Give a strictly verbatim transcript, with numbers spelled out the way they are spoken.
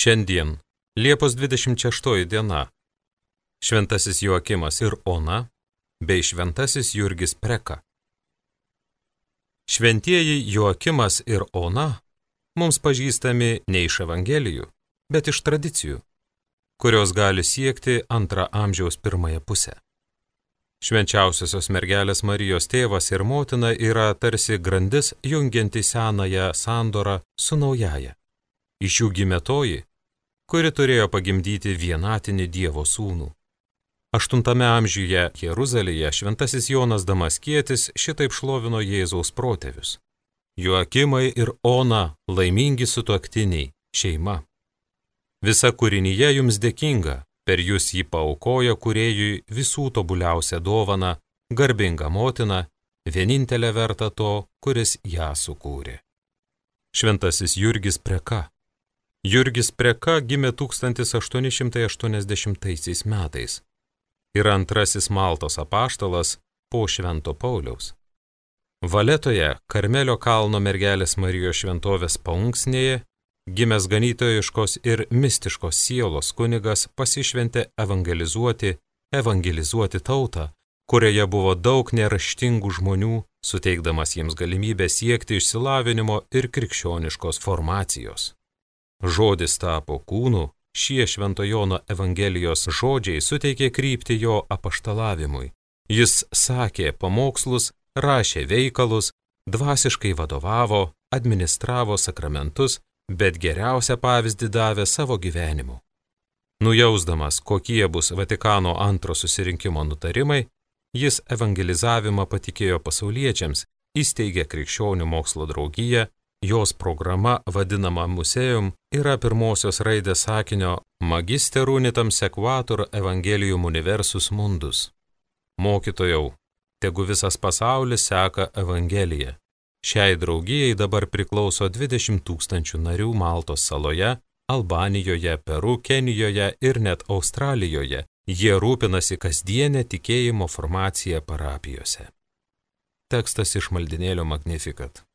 Šiandien, Liepos dvidešimt šeštoji diena, šventasis Joakimas ir Ona bei šventasis Jurgis Preka. Šventieji Joakimas ir Ona mums pažįstami ne iš Evangelijų, bet iš tradicijų, kurios gali siekti antrą amžiaus pirmąją pusę. Švenčiausiosios mergelės Marijos tėvas ir motina yra tarsi grandis jungianti senąją sandorą su naująja. Iš jų gimė toji, kuri turėjo pagimdyti vienatinį Dievo sūnų. Aštuntame amžiuje Jeruzalėje šventasis Jonas Damaskietis šitaip šlovino Jėzaus protėvius. Joakimai ir Ona laimingi sutuoktiniai, šeima. Visa kūrinyje jums dėkinga, per jūs jį paaukojo kūrėjui visų tobuliausią dovaną, garbingą motiną, vienintelę vertą to, kuris ją sukūrė. Šventasis Jurgis Preka. Jurgis Preka gimė tūkstantis aštuoni šimtai aštuoniasdešimtaisiais metais. Yra antrasis Maltos apaštalas po Švento Pauliaus. Valetoje, Karmelio kalno mergelės Marijos šventovės paunksnėje, gimęs ganytojiškos ir mistiškos sielos kunigas pasišventė evangelizuoti, evangelizuoti tautą, kurioje buvo daug neraštingų žmonių, suteikdamas jiems galimybę siekti išsilavinimo ir krikščioniškos formacijos. Žodis tapo kūnu, šie Švento Jono Evangelijos žodžiai suteikė kryptį jo apaštalavimui. Jis sakė pamokslus, rašė veikalus, dvasiškai vadovavo, administravo sakramentus, bet geriausią pavyzdį davė savo gyvenimu. Nujausdamas, kokie bus Vatikano antro susirinkimo nutarimai, jis evangelizavimą patikėjo pasauliečiams, įsteigė krikščionių mokslo draugiją. Jos programa, vadinama Museum, yra pirmosios raidės sakinio Magister unitam sequatur evangelium universus mundus. Mokytojau, tegu visas pasaulis seka Evangeliją. Šiai draugijai dabar priklauso dvidešimt tūkstančių narių Maltos saloje, Albanijoje, Peru, Kenijoje ir net Australijoje. Jie rūpinasi kasdienę tikėjimo formaciją parapijose. Tekstas iš maldinėlio Magnificat.